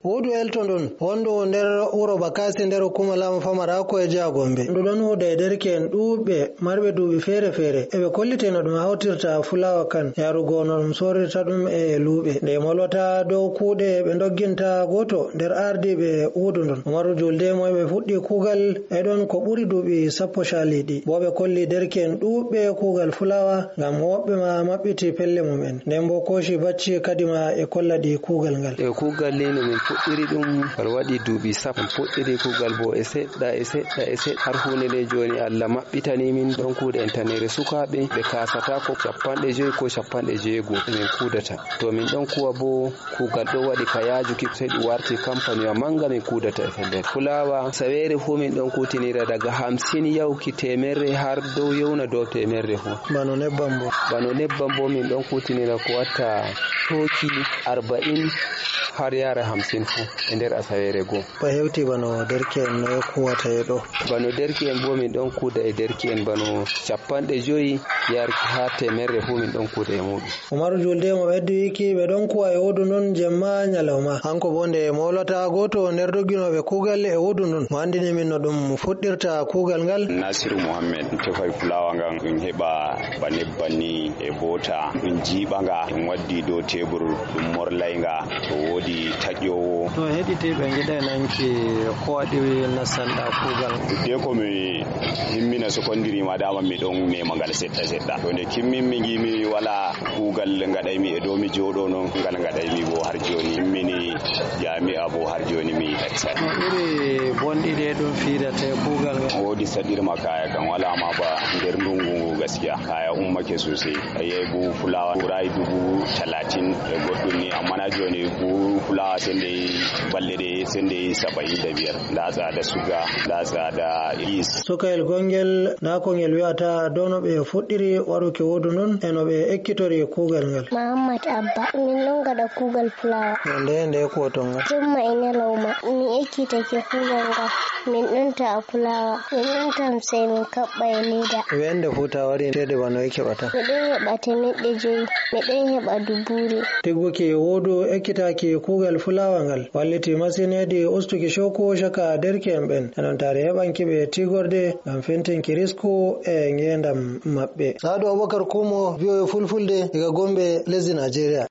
Huudu Elton ɗon wondu nder wuro Bakasi nder hukuma laamu Famarako e jiha Gombe. Ndu ɗon huuda e derke'en ɗuuɓɓe marɓe duuɓi feere-feere eɓe kollite no ɗum hawtirta fulawa kan yarugo no ɗum sorirta ɗum e luuɓe. Nde molwata dow kuuɗe ɓe dogginta goto nder ardiɓe huudu ndon. Umaru Julde mo ɓe fuɗɗi kuugal e ɗon ko ɓuri duuɓi 10 caliɗi. Bo ɓe kolli derke'en ɗuuɓɓe kuugal fulawa ngam woɓɓe ma maɓɓiti pelle mum'en. Nden bo Koshi Bacci kadima e kollaɗi kuugal ngal. Kuugal ni no min fuɗɗiri ɗum kal waɗi duuɓi 10 fuɗɗiri kuugal bo e seɗɗa har hunde nde joni Allah maɓɓitani min ɗon kuuɗe entanere sukaɓe ɓe kasata ko 50 ko 60 min kuudata. To min ɗon kuwa bo kuugal ɗo waɗi ka yajuki sai ɗum warti kampaniwa manga min kuudata e fellere. Fulawa sawere fu min ɗon kutinira daga 50 yauki 100 har dow yewna dow 100 fu. Bano nebbam bo min ɗon kutinira ko watta toki 40 har yara 50 fu e nder asawere go. Ba hewti bano derke'en no kuwata e ɗo. Bano derke'en bo min ɗon kuuda e derke'en bano 50 yarki ha 100 fu min ɗon kuuda e muɗum. Umaru Julde mo ɓeddi wiki ɓe ɗon kuwa e huudu non jemma nyalawma. Hanko bo nde molata goto nder dogginoɓe kuugal e huudu non mo andini min no ɗum fuɗɗirta kuugal ngal. Nasiru Muhammad tefai fulawa ngan ɗum heɓa ba nebban ni e bota ɗum jiiɓa nga ɗum waddi dow tebur ɗum morlay nga to woodi taƴowo. To heɗitiɓe giɗa nanki ko waɗi nasanɗa kuugal? De ko mi himmina secondary ma dama mi ɗon mema ngal seɗɗa to nde kimmin mi gimi wala kuugal ngaɗaymi e dow mi jooɗo noon ngal ngaɗaymi bo har joni himmini jami'a bo har joni mi ɗaccata. No ɓuri bonɗiɗe ɗum fiidata e kuugal ngal? Woodi saɗirma kaya kan wala ma ba nder ndungu gaskiya kaya ummake sosai ayi bu fulawa ɓuray 30 e goɗɗum ni amma na joni bu fulawa sende balɗe sende 75 nda tsada suga nda tsada is. Sukayel gongel nda ko ngel wi'ata dow no ɓe fuɗɗiri waɗuki huudu non e no ɓe ekkitori kuugal ngal. Muhammad Abba min ɗon gaɗa kuugal fulawa. Nde kuwoton ngal? Jumma e nyalawma mi ekkitake kuugal ngal min ɗon ta'a fulawa min ɗon tamsai min kaɓɓa e leda. Wende futa wari tede bano e keɓata? Mi ɗon heɓa 500 mi ɗon heɓa 2,000. Tigguki huudu ekkitaki kuugal fulawa ngal walliti masin hedi ustuki shoko shaka derke'en ɓen enon tare heɓanki ɓe tigorde ngam fentinki risku e ngendam maɓɓe. Sadu Abubakar Kumo, VOA Fulfulde daga Gombe, lesdi Nigeria.